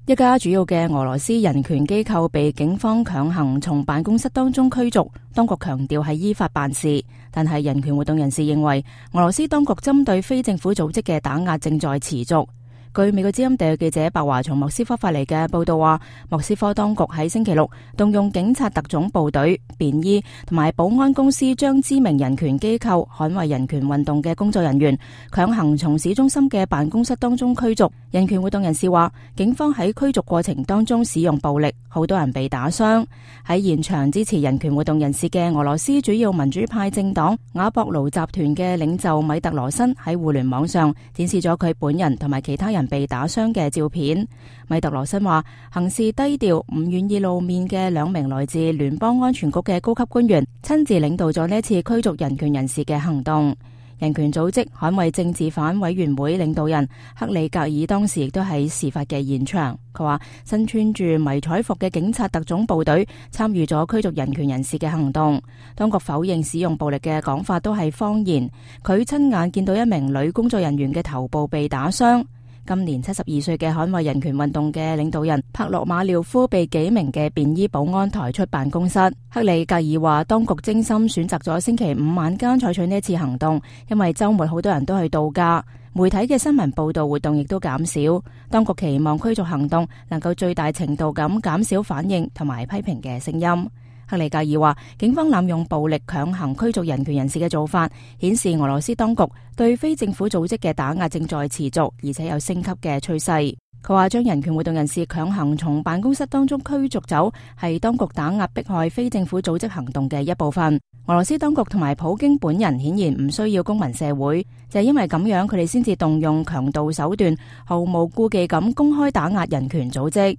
一家主要嘅俄羅斯人權機構被警方強行從辦公室當中驅逐，當局強調係依法辦事，但係人權活動人士認為俄羅斯當局針對非政府組織嘅打壓正在持續。據美國之音特約記者白華從莫斯科發嚟嘅報道話，莫斯科當局喺星期六動用警察特種部隊、便衣同埋保安公司，將知名人權機構捍衛人權運動嘅工作人員強行從市中心嘅辦公室當中驅逐。人權活動人士話，警方喺驅逐過程當中使用暴力，好多人被打傷。喺現場支持人權活動人士嘅俄羅斯主要民主派政黨瓦博盧集團嘅領袖米特羅申喺互聯網上展示咗佢本人同埋其他人被打傷嘅照片。米特羅申話，行事低調、唔願意露面嘅兩名來自聯邦安全局嘅高級官員親自領導咗呢一次驅逐人權人士嘅行動。人權組織捍衛政治犯委員會領導人克里格爾當時亦都喺事發嘅現場。佢話，身穿住迷彩服嘅警察特種部隊參與咗驅逐人權人士嘅行動。當局否認使用暴力嘅講法都係謊言。佢親眼見到一名女工作人員嘅頭部被打傷。今年72歲嘅捍衛人權運動嘅領導人帕洛馬廖夫被幾名嘅便衣保安抬出辦公室。克里格爾話，當局精心選擇咗星期五晚間採取呢次行動，因為週末好多人都去度假，媒體嘅新聞報道活動亦都減少。當局期望驅逐行動能夠最大程度咁減少反應同埋批評嘅聲音。克里格爾話，警方濫用暴力強行驅逐人權人士嘅做法，顯示俄羅斯當局對非政府組織嘅打壓正在持續，而且有升級嘅趨勢。佢話，將人權活動人士強行從辦公室當中驅逐走，係當局打壓迫害非政府組織行動嘅一部分。俄羅斯當局同埋普京本人顯然唔需要公民社會，就係因為咁樣，佢哋先至動用強盜手段，毫無顧忌咁公開打壓人權組織。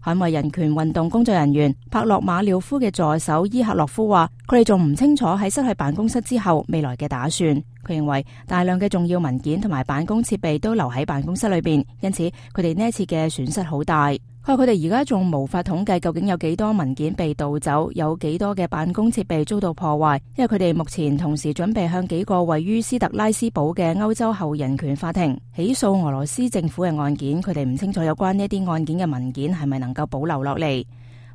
捍衛人權運動工作人員帕洛馬廖夫嘅助手伊克洛夫話，佢哋仲唔清楚喺失去辦公室之後未來嘅打算。佢認為大量嘅重要文件同埋辦公設備都留喺辦公室裏邊，因此佢哋呢一次嘅損失好大。佢話佢哋而家仲無法統計究竟有幾多文件被盜走，有幾多嘅辦公設備遭到破壞，因為佢哋目前同時準備向幾個位於斯特拉斯堡嘅歐洲後人權法庭起訴俄羅斯政府嘅案件。佢哋唔清楚有關呢啲案件嘅文件係咪能夠保留落嚟。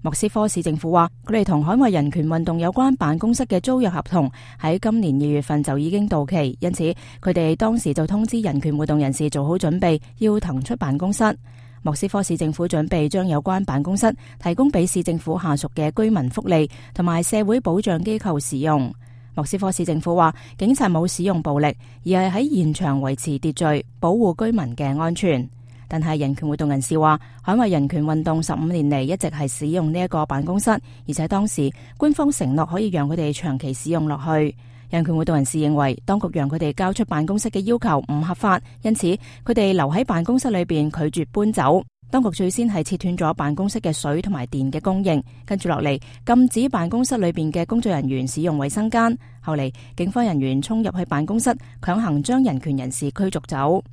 莫斯科市政府話，佢哋同捍衛人權運動有關辦公室嘅租約合同喺今年2月份就已經到期，因此佢哋當時就通知人權活動人士做好準備，要騰出辦公室。莫斯科市政府準備將有關辦公室提供俾市政府下屬嘅居民福利同埋社會保障機構使用。莫斯科市政府話，警察冇使用暴力，而係喺現場維持秩序，保護居民嘅安全。但係人權活動人士話，捍衛人權運動15年嚟一直係使用呢一個辦公室，而且當時官方承諾可以讓佢哋長期使用落去。人權活動人士認為，當局讓佢哋交出辦公室嘅要求唔合法，因此佢哋留喺辦公室裏邊拒絕搬走。當局最先係切斷咗辦公室嘅水同埋電嘅供應，跟住落嚟禁止辦公室裏邊嘅工作人員使用衛生間。後嚟警方人員衝入去辦公室，強行將人權人士驅逐走。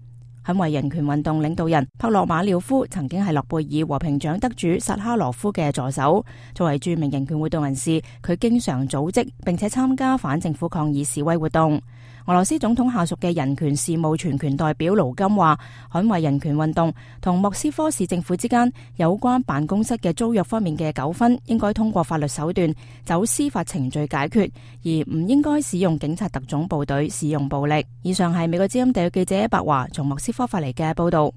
捍衛人權運動領導人帕洛馬廖夫曾經係諾貝爾和平獎得主薩哈羅夫嘅助手。作為著名人權活動人士，佢經常組織並且參加反政府抗議示威活動。俄羅斯總統下屬嘅人權事務全權代表盧金話，捍衛人權運動同莫斯科市政府之間有關辦公室嘅租約方面嘅糾紛，應該通過法律手段走司法程序解決，而唔應該使用警察特種部隊使用暴力。以上係美國之音特約記者白華從莫斯科發嚟嘅報道。